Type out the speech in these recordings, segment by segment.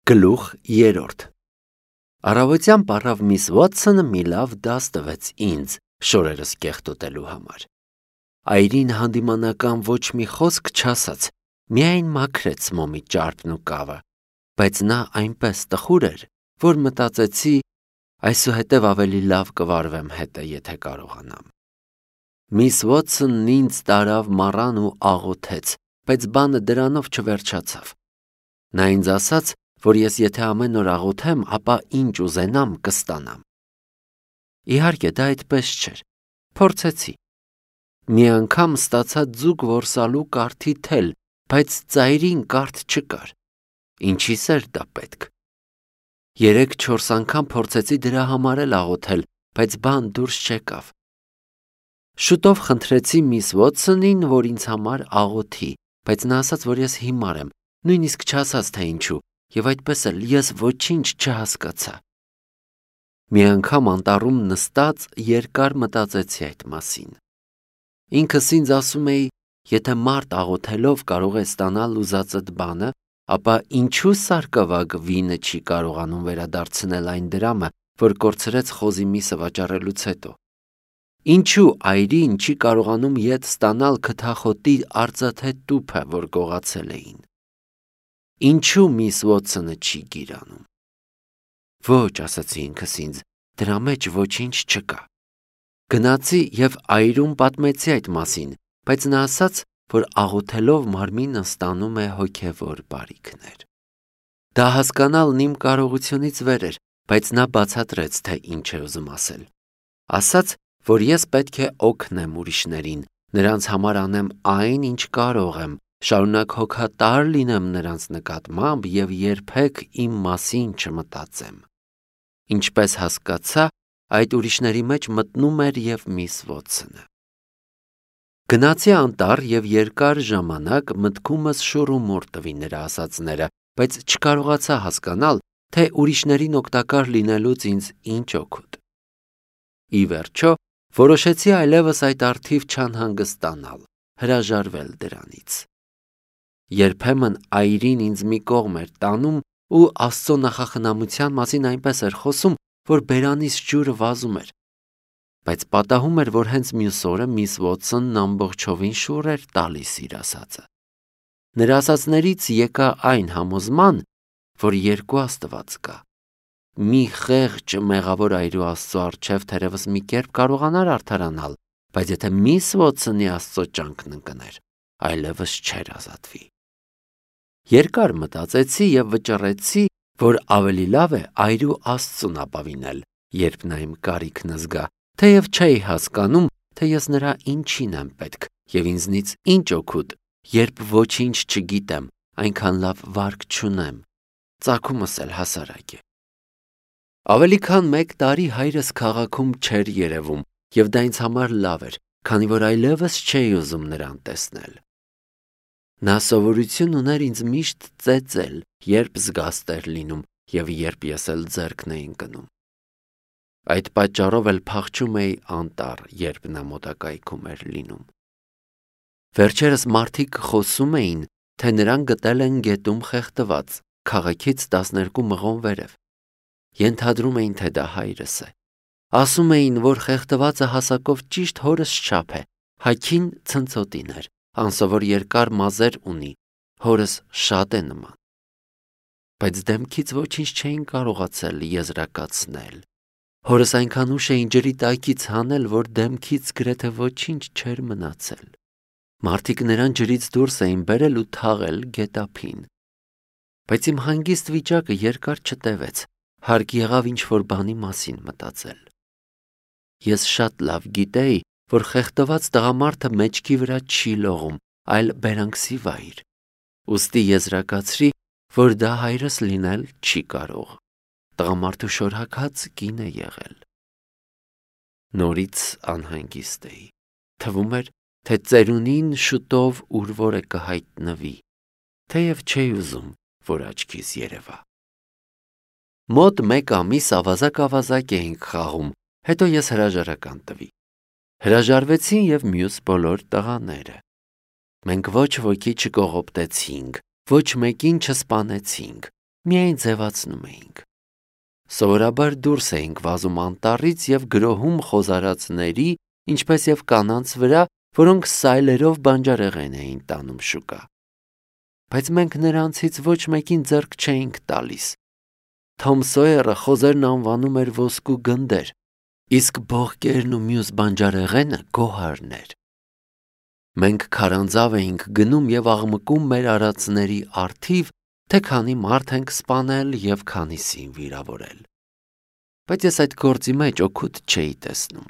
Գլուխ 3 Առավոտյան պառավ միս Վոթսոնը մի լավ դաս տվեց ինձ շորերս կեղտոտելու համար։ Այրին հանդիմանական ոչ մի խոսք չասաց, միայն մաքրեց մոմի ճարպն ու կավը, բայց նա այնպես տխուր էր, որ մտածեցի այսուհետև ավելի լավ կվարվեմ հետը, եթե կարողանամ։ Միս Վոթսոնն ինձ տարավ մառան ու աղոթեց, բայց բանը դրանով չվերջացավ։ Նա ինձ ասաց, որ ես եթե ամեն օր աղոթեմ, ապա ինչ ուզենամ կստանամ։ Իհարկե դա այդպես չէր, փորձեցի։ Մի անգամ ստացա ձուկ որսալու կարթի թել, բայց ծայրին կարթ չկար։ Ինչիս էր դա պետք։ 3-4 անգամ փորձեցի դրա համար էլ աղոթել, բայց բան դուրս չեկավ։ Շուտով խնդրեցի միս Վոթսոնին, որ ինձ համար աղոթի, բայց նա ասաց, որ ես հիմար եմ, նույնիսկ չասաց թե ինչու, եւ այդպես էլ ես ոչինչ չհասկացա։ Մի անգամ անտառում նստած երկար մտածեցի այդ մասին։ Ինքս ինձ ասում էի, եթե մարդ աղոթելով կարող է ստանալ ուզածդ բանը, ապա ինչու սարկավագ վինը չի կարողանում վերադարձնել այն դրամը, որ կորցրեց խոզի միսը վաճառելուց հետո։ Ինչու այրին չի կարողանում ետ ստանալ քթախոտի արծաթե տուփը, որ գողացել էին։ Ինչու միս Վոթսոնը չի գիրանում։ Ոչ, ասացի ինքս ինձ, դրա մեջ ոչինչ չկա։ Գնացի եւ այրում պատմեցի այդ մասին, բայց նա ասաց, որ աղոթելով մարմինը ստանում է հոգևոր բարիքներ։ Դա հասկանալն իմ կարողությունից վեր էր, բայց նա բացատրեց, թե ինչ է ուզում ասել։ Ասաց, որ ես պետք է օգնեմ ուրիշներին, նրանց համար անեմ այն, ինչ կարող եմ, շարունակ հոգատար լինեմ նրանց նկատմամբ եւ երբեք իմ մասին չմտածեմ։ Ինչպես հասկացա, այդ ուրիշների մեջ մտնում էր եւ միս Վոթսոնը։ Գնացի անտառ եւ երկար ժամանակ մտքումս շուռումուռ տվի նրա ասածները, բայց չկարողացա հասկանալ, թե ուրիշներին օգտակար լինելուց ինձ ինչ օգուտ։ Ի վերջո, որոշեցի այլևս այդ առթիվ չանհանգստանալ, հրաժարվել դրանից։ Երբեմն այրին ինձ մի կողմ էր տանում ու Աստծո նախախնամության մասին այնպես էր խոսում, որ բերանից ջուրը վազում էր։ Բայց պատահում էր, որ հենց մյուս օրը միս Վոթսոնն ամբողջովին շուռ էր տալիս իր ասածը։ Նրա ասածներից եկա այն համոզման, որ երկու Աստված կա։ Մի խեղճ մեղավոր այրու Աստծո առջև թերևս մի կերպ կարողանար արդարանալ, բայց եթե միս Վոթսոնի Աստծո ջանքն ընկներ, այլևս չէր ազատվի։ Երկար մտածեցի եւ վճռեցի, որ ավելի լավ է այրու Աստծուն ապավինել, երբ նա իմ կարիքն զգա, թեև չէի հասկանում, թե ես նրա ինչին եմ պետք եւ ինձնից ինչ օգուտ, երբ ոչինչ չգիտեմ, այնքան լավ վարկ չունեմ, ծագումս էլ հասարակ է։ Ավելի քան 1 տարի հայրս քաղաքում չէր երևում, եւ դա ինձ համար լավ էր, քանի որ այլևս չէի ուզում նրան տեսնել։ Նա սովորություն ուներ ինձ միշտ ծեծել, երբ զգաստ էր լինում եւ երբ ես էլ ձեռքն էի ընկնում։ Այդ պատճառով էլ փախչում էի անտառ, երբ նա մոտակայքում էր լինում։ Վերջերս մարդիկ խոսում էին, թե նրան գտել են գետում խեղդված, քաղաքից 12 մղոն վերև։ Ենթադրում էին, թե դա հայրս է։ Ասում էին, որ խեղդվածը հասակով ճիշտ հորս չափ է, հագին ցնցոտին էր, անսովոր երկար մազեր ունի, հորս շատ է նման։ Բայց դեմքից ոչինչ չէին կարողացել եզրակացնել։ Հորս այնքան ուշ էին ջրի տակից հանել, որ դեմքից գրեթե ոչինչ չէր մնացել։ Մարդիկ նրան ջրից դուրս էին բերել ու թաղել գետափին։ Բայց իմ հանգիստ վիճակը երկար չտևեց, հարկ եղավ ինչ-որ բանի մասին մտածել։ Ես շատ լավ գիտեի, որ խեղդված տղամարդը մեջքի վրա չի լողում, այլ բերանքսի վայր։ Ուստի եզրակացրի, որ դա հայրս լինել չի կարող։ Տղամարդու շորհաքած կին է եղել։ Նորից անհանգիստ էի։ Թվում էր, թե ծերունին շուտով ուր որ է կհայտնվի, թեև չէի ուզում, որ աչքիս երևա։ Մոտ 1 ամիս ավազակ էինք խաղում, հետո ես հրաժարական տվի։ Հրաժարվեցին եւ մյուս բոլոր տղաները։ Մենք ոչ ոքի չկողոպտեցինք, ոչ մեկին չսպանեցինք, միայն ձևացնում էինք։ Սովորաբար դուրս էինք վազում անտառից և գրոհում խոզարածների, ինչպես և կանանց վրա, որոնք սայլերով բանջարեղեն էին տանում շուկա։ Բայց մենք նրանցից ոչ մեկին ձեռք չէինք տալիս։ Թոմ Սոյերը խոզերն անվանում էր ոսկու գնդեր, իսկ բողկերն ու մյուս բանջարեղենը գոհարներ։ Մենք քարանձավ էինք գնում և աղմկում մեր արածների առթիվ, թե քանի մարդ ենք սպանել և քանիսին վիրավորել։ Բայց ես այդ գործի մեջ օգուտ չէի տեսնում։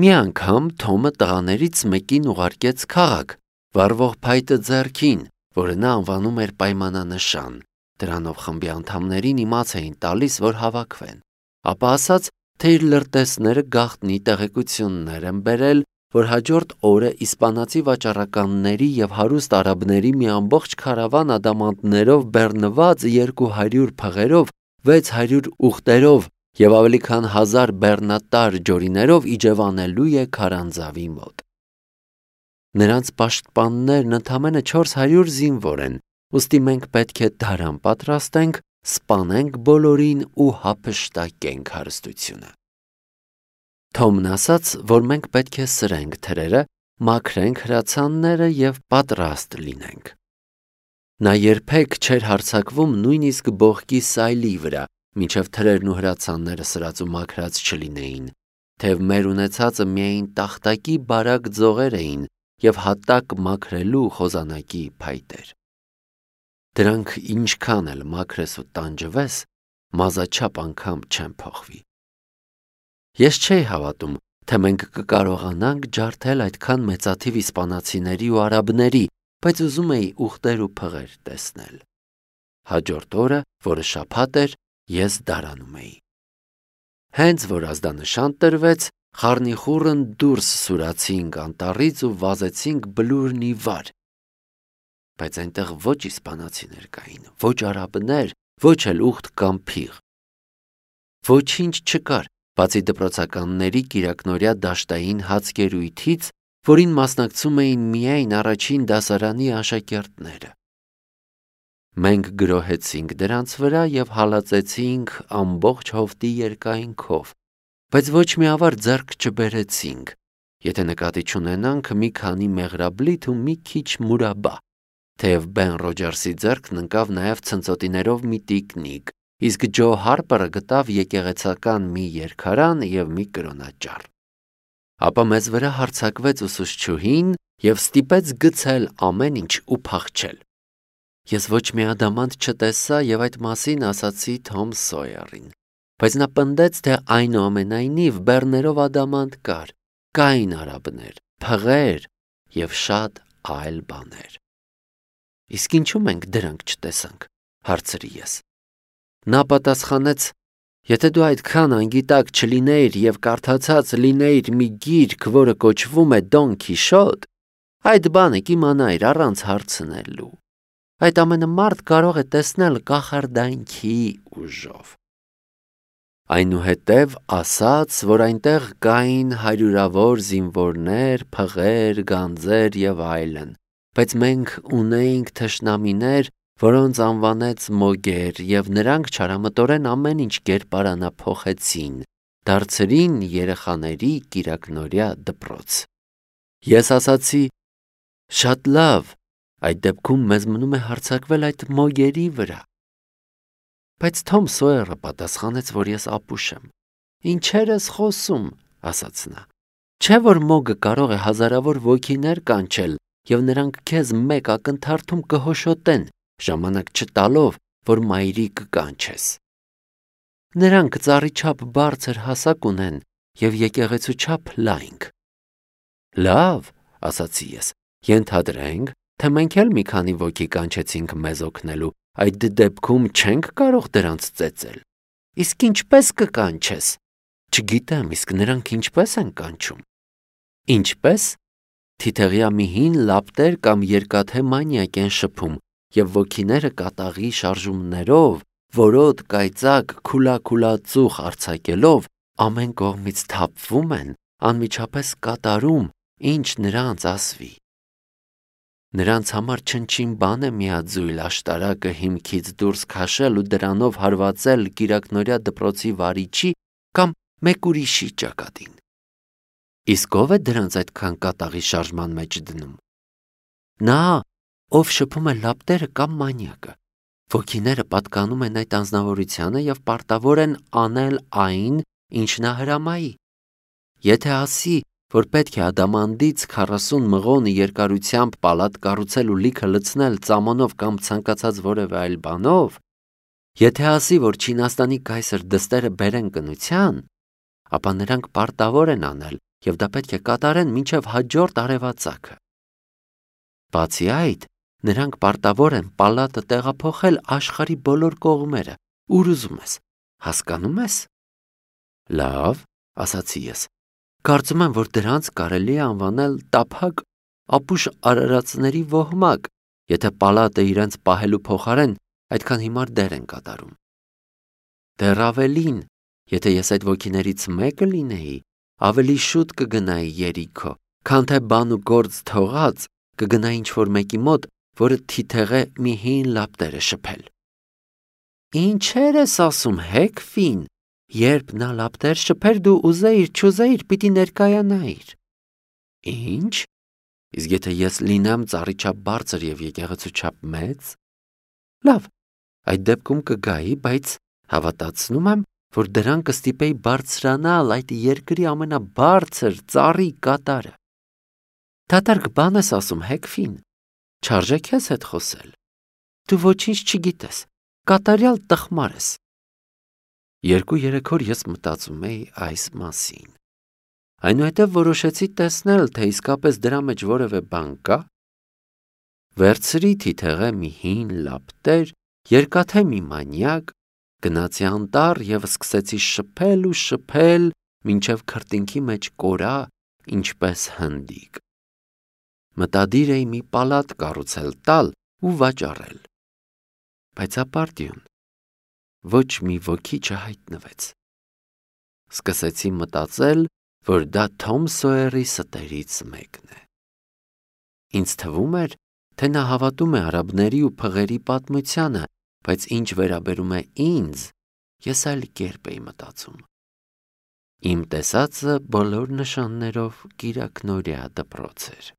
Մի անգամ Թոմը տղաներից մեկին ուղարկեց քաղաք, վառվող փայտը ձեռքին, որը նա անվանում էր պայմանանշան։ Դրանով խմբի անդամներին իմաց էին տալիս, որ հավաքվեն։ Ապա ասաց, թե իր լրտեսները գաղտնի տեղեկություններ են բերել, որ հաջորդ օրը իսպանացի վաճառականների և հարուստ արաբների մի ամբողջ քարավան ադամանդներով բեռնված 200 փղերով, 600 ուղտերով և ավելի քան 1000 բեռնատար ջորիներով իջևանելու է քարանձավի մոտ։ Նրանց պաշտպաններն ընդամենը 400 զինվոր են, ուստի մենք պետք է դարան պատրաստենք, սպանենք բոլորին ու հափշտակենք հարստությունը։ Թոմն ասաց, որ մենք պետք է սրենք թրերը, մաքրենք հրացանները և պատրաստ լինենք։ Նա երբեք չէր հարձակվում նույնիսկ բողկի սայլի վրա, մինչև թրերն ու հրացանները սրած ու մաքրած չլինեին, թեև մեր ունեցածը միայն տախտակի բարակ ձողեր էին և հատակ մաքրելու խոզանակի փայտեր։ Դրանք ինչքան էլ մաքրես ու տանջվես, մազաչափ անգամ չեն փոխվի։ Ես չէի հավատում, թե մենք կկարողանանք ջարդել այդքան մեծաթիվ իսպանացիների ու արաբների, բայց ուզում էի ուղտեր ու փղեր տեսնել։ Հաջորդ օրը, որը շաբաթ էր, ես դարանում էի։ Հենց որ ազդանշան տրվեց, խառնիխուռն դուրս սուրացինք անտառից ու վազեցինք բլուրն ի վար։ Բայց այնտեղ ոչ իսպանացիներ կային, ոչ արաբներ, ոչ էլ ուղտ կամ փիղ։ Ոչինչ չկար, բացի դպրոցականների կիրակնօրյա դաշտային հացկերույթից, որին մասնակցում էին միայն առաջին դասարանի աշակերտները։ Մենք գրոհեցինք դրանց վրա և հալածեցինք ամբողջ հովտի երկայնքով, բայց ոչ մի ավար ձեռք չբերեցինք, եթե նկատի չունենանք մի քանի մեղրաբլիթ ու մի քիչ մուրաբա, թեև Բեն Ռոջերսի ձեռքն ընկավ նաև ցնծոտիներով մի տիկնիկ, իսկ Ջո Հարպերը գտավ եկեղեցական մի երգարան և մի կրոնաճառ։ Ապա մեզ վրա հարձակվեց ուսուցչուհին և ստիպեց գցել ամեն ինչ ու փախչել։ Ես ոչ մի ադամանդ չտեսա և այդ մասին ասացի Թոմ Սոյերին, բայց նա պնդեց, թե այնուամենայնիվ բեռներով ադամանդ կար, կային արաբներ, փղեր և շատ այլ բաներ։ Իսկ ինչու մենք դրանք չտեսանք, հարցրի ես։ Նա պատասխանեց. եթե դու այդքան անգիտակ չլինեիր և կարդացած լինեիր մի գիրք, որը կոչվում է Դոն Քիշոտ, այդ բանը կիմանայիր առանց հարցնելու։ Այդ ամենը մարդ կարող է տեսնել կախարդանքի ուժով։ Այնուհետև ասաց, որ այնտեղ կային հարյուրավոր զինվորներ, փղեր, գանձեր և այլն, բայց մենք ունեինք թշնամիներ, որոնց անվանեց Մոգեր, և նրանք չարամտորեն ամեն ինչ կերպարանափոխեցին, դարձրին երեխաների կիրակնօրյա դպրոց։ Ես ասացի. շատ լավ, այդ դեպքում մեզ մնում է հարձակվել այդ Մոգերի վրա։ Բայց Թոմ Սոյերը պատասխանեց, որ ես ապուշ եմ։ Ինչեր ես խոսում, ասաց նա։ Չէ՞ որ Մոգը կարող է հազարավոր ոգիներ կանչել, և նրանք քեզ մեկ ակնթարթում կհոշոտեն, ժամանակ չտալով, որ մայրիկ կանչես։ Նրանք ծառի չափ բարձր հասակ ունեն և եկեղեցու չափ լայնք։ Լավ, ասացի ես, ենթադրենք, թե մենք էլ մի քանի ոգի կանչեցինք մեզ օգնելու, այդ դեպքում չենք կարող դրանց ծեծել։ Իսկ ինչպես կկանչես։ Չգիտեմ, իսկ նրանք ինչպես են կանչում։ Ինչպես։ Թիթեղյա մի հին լապտեր կամ երկաթե մանյակ են շփում, և ոգիները կատաղի շարժումներով, որոտ, կայծակ, քուլա ծուխ արձակելով, ամեն կողմից թափվում են, անմիջապես կատարում, ինչ նրանց ասվի։ Նրանց համար չնչին բան է միաձույլ աշտարակը հիմքից դուրս քաշել ու դրանով հարվածել կիրակնօրյա դպրոցի վարիչի կամ մեկ ուրիշի ճակատին։ Իսկ ով է դրանց այդքան կատաղի շարժման մեջ դնում։ Նա, ով շփում է լապտերը կամ մանյակը։ Ոգիները պատկանում են այդ անձնավորությանը և պարտավոր են անել այն, ինչ նա հրամայի։ Եթե ասի, որ պետք է ադամանդից 40 մղոնի երկարությամբ պալատ կառուցել ու լիքը լցնել ծամոնով կամ ցանկացած որևէ այլ բանով, եթե ասի, որ Չինաստանի կայսր դստերը բերեն կնության, ապա նրանք պարտավոր են անել և դա պետք է կատարեն մինչև հաջորդ արևածագը։ Բացի այդ, նրանք պարտավոր են պալատը տեղափոխել աշխարհի բոլոր կողմերը, ուր ուզում ես, հասկանում ես։ Լավ, ասացի ես, կարծում եմ, որ դրանց կարելի է անվանել տափակ ապուշ արարածների ոհմակ, եթե պալատը իրենց պահելու փոխարեն այդքան հիմար դեր են կատարում։ Դեռ ավելին, եթե ես այդ ոգիներից մեկը լինեի, ավելի շուտ կգնայի երիքո, քան թե բան ու գործ թողած կգնայի ինչ-որ մեկի մոտ, որը թիթեղ է մի հին լապտերը շփել։ Ինչեր ես ասում, Հեքֆին, երբ նա լապտեր շփեր, դու ուզեիր, չուզեիր, պիտի ներկայանայիր։ Ինչ։ Իսկ եթե ես լինեմ ծառի չափ բարձր և եկեղեցու չափ մեծ։ Լավ, այդ դեպքում կգայի, բայց հավատացնում եմ, որ դրան կստիպեի բարձրանալ այդ երկրի ամենաբարձր ծառի կատարը։ Դատարկ բան ես ասում, Հեքֆին, չարժե քեզ հետ խոսել։ Դու ոչինչ չգիտես, կատարյալ տխմար ես։ 2-3 օր ես մտածում էի այս մասին։ Այնուհետև որոշեցի տեսնել, թե իսկապես դրա մեջ որևէ բան կա։ Վերցրի թիթեղե մի հին լապտեր, երկաթե մի մանյակ, գնացի անտառ և սկսեցի շփել ու շփել, մինչև քրտինքի մեջ կորա, ինչպես հնդիկ։ Մտադիր էի մի պալատ կառուցել տալ ու վաճառել։ Բայց ապարդյուն, ոչ մի ոգի չհայտնվեց։ Սկսեցի մտածել, որ դա Թոմ Սոյերի ստերից մեկն է։ Ինձ թվում էր, թե նա հավատում է արաբների ու փղերի պատմությանը, բայց ինչ վերաբերում է ինձ, ես այլ կերպ էի մտածում։ Իմ տեսածը բոլոր նշաններով կիրակնօրյա դպրոց էր։